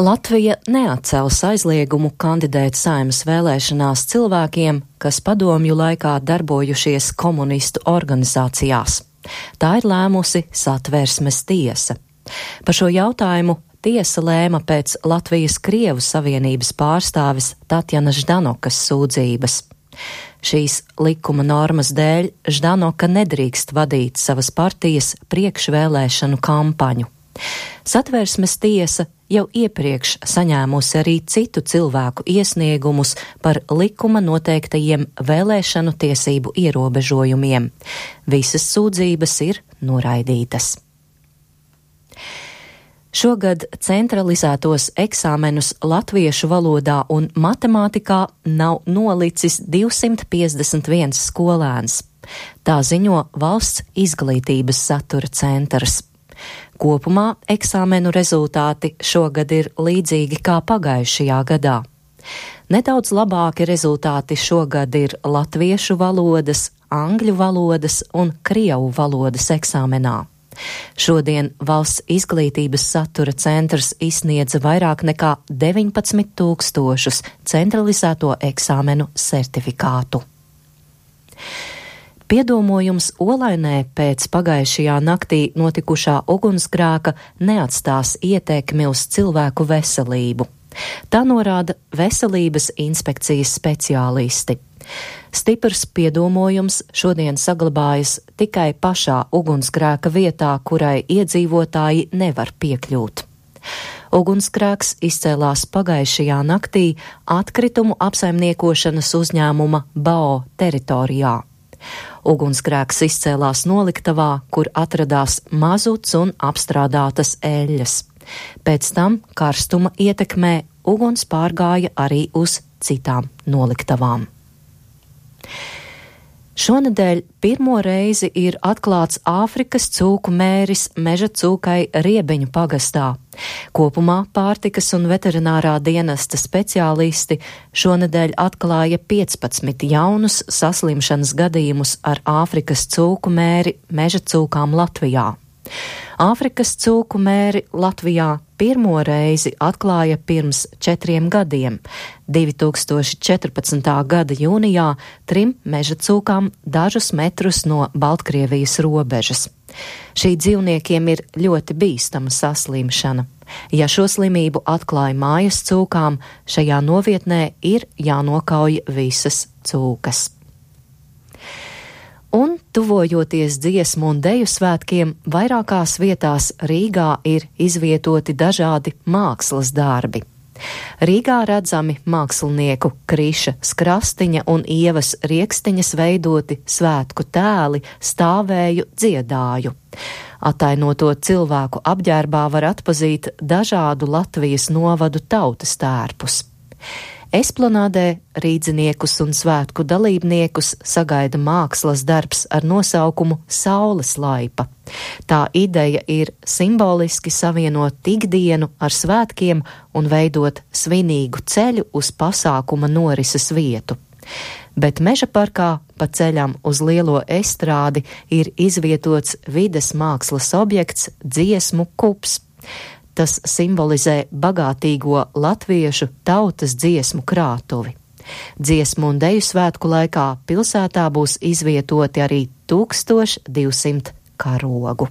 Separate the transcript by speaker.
Speaker 1: Latvija neatcels aizliegumu kandidēt Saeimas vēlēšanās cilvēkiem, kas padomju laikā darbojušies komunistu organizācijās. Tā ir lēmusi Satversmes tiesa. Par šo jautājumu tiesa lēma pēc Latvijas Krievu savienības pārstāvis Tatjanas Ždanokas sūdzības. Šīs likuma normas dēļ Ždanoka nedrīkst vadīt savas partijas priekšvēlēšanu kampaņu. Satversmes tiesa jau iepriekš saņēmusi arī citu cilvēku iesniegumus par likuma noteiktajiem vēlēšanu tiesību ierobežojumiem. Visas sūdzības ir noraidītas. Šogad centralizētos eksāmenus latviešu valodā un matemātikā nav nolicis 251 skolēns. Tā ziņo Valsts izglītības satura centrs. Kopumā eksāmenu rezultāti šogad ir līdzīgi kā pagājušajā gadā. Nedaudz labāki rezultāti šogad ir latviešu valodas, angļu valodas un krievu valodas eksāmenā. Šodien Valsts izglītības satura centrs izsniedza vairāk nekā 19 000 centralizēto eksāmenu certifikātu. Piedomojums Olainē pēc pagājušajā naktī notikušā ugunsgrēka neatstās ietekmi uz cilvēku veselību. Tā norāda Veselības inspekcijas speciālisti. Stiprs piedomojums šodien saglabājas tikai pašā ugunsgrēka vietā, kurai iedzīvotāji nevar piekļūt. Ugunsgrēks izcēlās pagājušajā naktī atkritumu apsaimniekošanas uzņēmuma BAO teritorijā. Ugunsgrēks izcēlās noliktavā, kur atradās mazuts un apstrādātas eļļas. Pēc tam karstuma ietekmē uguns pārgāja arī uz citām noliktavām. Šonedēļ pirmo reizi ir atklāts Āfrikas cūku mēris Meža cūkai Riebeņu pagastā. Kopumā pārtikas un veterinārā dienesta speciālisti šonedēļ atklāja 15 jaunus saslimšanas gadījumus ar Āfrikas cūku mēri Meža cūkām Latvijā. Āfrikas cūku mēri Latvijā pirmo reizi atklāja pirms 4 gadiem, 2014. gada jūnijā 3 meža cūkām dažus metrus no Baltkrievijas robežas. Šī dzīvniekiem ir ļoti bīstama saslimšana. Ja šo slimību atklāja mājas cūkām, šajā novietnē ir jānokauj visas cūkas. Un, tuvojoties dziesmu un deju svētkiem, vairākās vietās Rīgā ir izvietoti dažādi mākslas darbi. Rīgā redzami mākslinieku Kriša Skrastiņa un Ievas Riekstiņas veidoti svētku tēli stāvēju dziedāju. Atainoto cilvēku apģērbā var atpazīt dažādu Latvijas novadu tautas tērpus. Esplanādē rīdziniekus un svētku dalībniekus sagaida mākslas darbs ar nosaukumu Saules laipa. Tā ideja ir simboliski savienot ikdienu ar svētkiem un veidot svinīgu ceļu uz pasākuma norises vietu. Bet Meža parkā pa ceļam uz lielo estrādi ir izvietots vides mākslas objekts dziesmu kups. Tas simbolizē bagātīgo latviešu tautas dziesmu krātuvi. Dziesmu un deju svētku laikā pilsētā būs izvietoti arī 1200 karogu.